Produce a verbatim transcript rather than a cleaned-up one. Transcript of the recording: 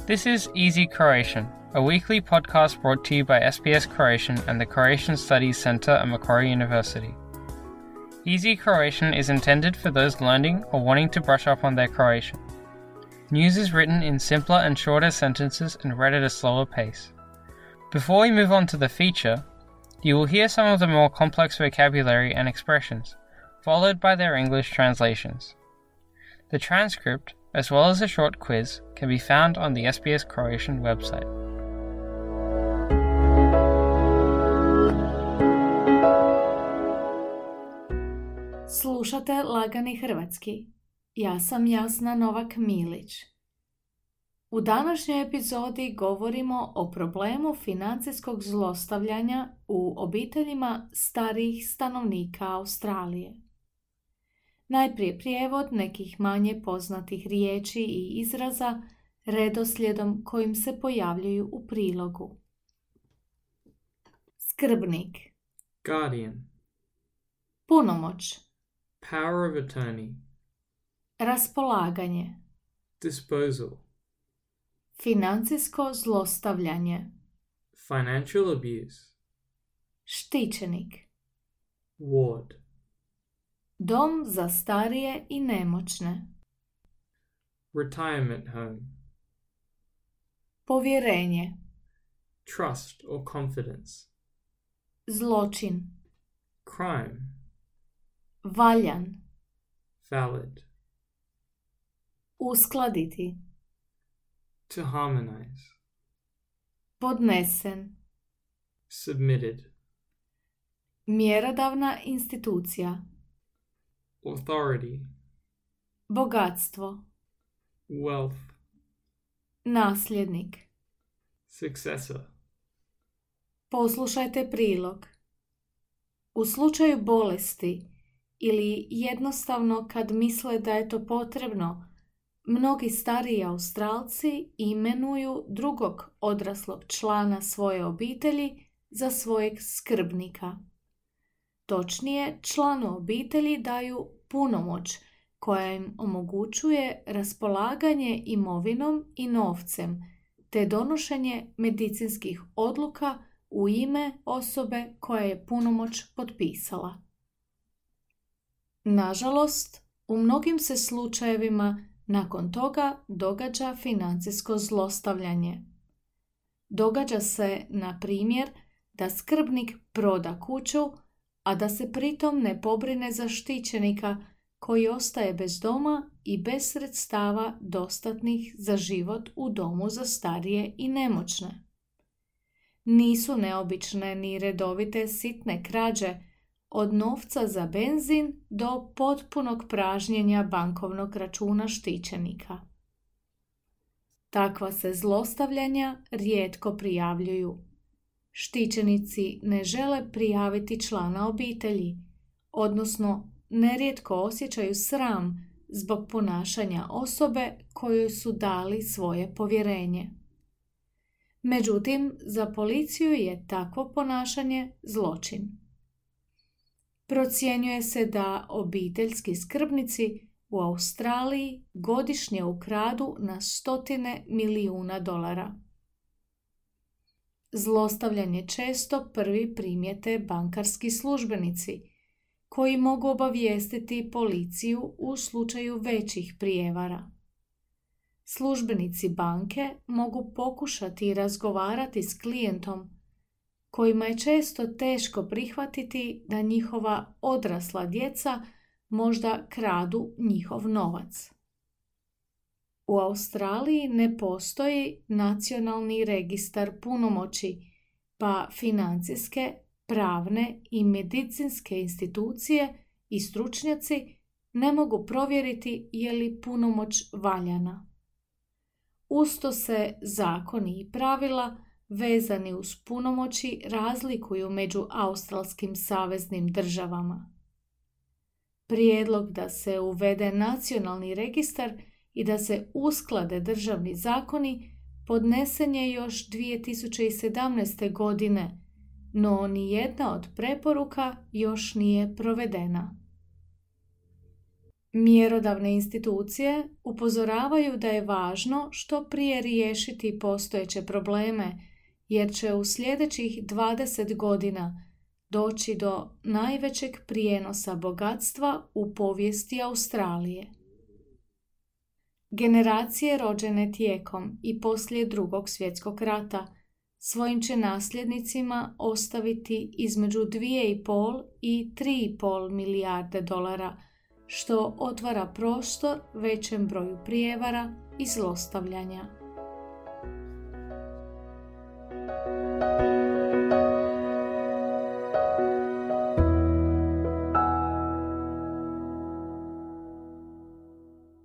This is Easy Croatian, a weekly podcast brought to you by S B S Croatian and the Croatian Studies Centre at Macquarie University. Easy Croatian is intended for those learning or wanting to brush up on their Croatian. News is written in simpler and shorter sentences and read at a slower pace. Before we move on to the feature, you will hear some of the more complex vocabulary and expressions, followed by their English translations. The transcript, as well as a short quiz, can be found on the S B S Croatian website. Slušate Lagani hrvatski. Ja sam Jasna Novak-Milić. U današnjoj epizodi govorimo o problemu financijskog zlostavljanja u obiteljima starijih stanovnika Australije. Najprije prijevod nekih manje poznatih riječi i izraza redoslijedom kojim se pojavljuju u prilogu. Skrbnik. Guardian. Punomoć. Power of attorney. Raspolaganje. Disposal. Financijsko zlostavljanje. Financial abuse. Štićenik. Ward. Dom za starije i nemoćne. Retirement home. Povjerenje. Trust or confidence. Zločin. Crime. Valjan. Valid. Uskladiti. To harmonize. Podnesen. Submitted. Mjerodavna institucija. Authority. Bogatstvo. Wealth. Nasljednik. Successor. Poslušajte prilog. U slučaju bolesti ili jednostavno kad misle da je to potrebno, mnogi stariji Australci imenuju drugog odraslog člana svoje obitelji za svojeg skrbnika. Točnije, članu obitelji daju punomoć koja im omogućuje raspolaganje imovinom i novcem te donošenje medicinskih odluka u ime osobe koja je punomoć potpisala. Nažalost, u mnogim se slučajevima nakon toga događa financijsko zlostavljanje. Događa se, na primjer, da skrbnik proda kuću, a da se pritom ne pobrine za štićenika koji ostaje bez doma i bez sredstava dostatnih za život u domu za starije i nemoćne. Nisu neobične ni redovite sitne krađe, od novca za benzin do potpunog pražnjenja bankovnog računa štićenika. Takva se zlostavljanja rijetko prijavljuju. Štićenici ne žele prijaviti člana obitelji, odnosno nerijetko osjećaju sram zbog ponašanja osobe kojoj su dali svoje povjerenje. Međutim, za policiju je takvo ponašanje zločin. Procjenjuje se da obiteljski skrbnici u Australiji godišnje ukradu na stotine milijuna dolara. Zlostavljanje često prvi primijete bankarski službenici, koji mogu obavijestiti policiju u slučaju većih prijevara. Službenici banke mogu pokušati razgovarati s klijentom, kojima je često teško prihvatiti da njihova odrasla djeca možda kradu njihov novac. U Australiji ne postoji nacionalni registar punomoći, pa financijske, pravne i medicinske institucije i stručnjaci ne mogu provjeriti je li punomoć valjana. Usto se zakoni i pravila vezani uz punomoći razlikuju među australskim saveznim državama. Prijedlog da se uvede nacionalni registar i da se usklade državni zakoni podnesen je još dvije tisuće sedamnaeste. godine, no nijedna od preporuka još nije provedena. Mjerodavne institucije upozoravaju da je važno što prije riješiti postojeće probleme, jer će u sljedećih dvadeset godina doći do najvećeg prijenosa bogatstva u povijesti Australije. Generacije rođene tijekom i poslije Drugog svjetskog rata svojim će nasljednicima ostaviti između dvije i pol i tri i pol milijarde dolara, što otvara prostor većem broju prijevara i zlostavljanja.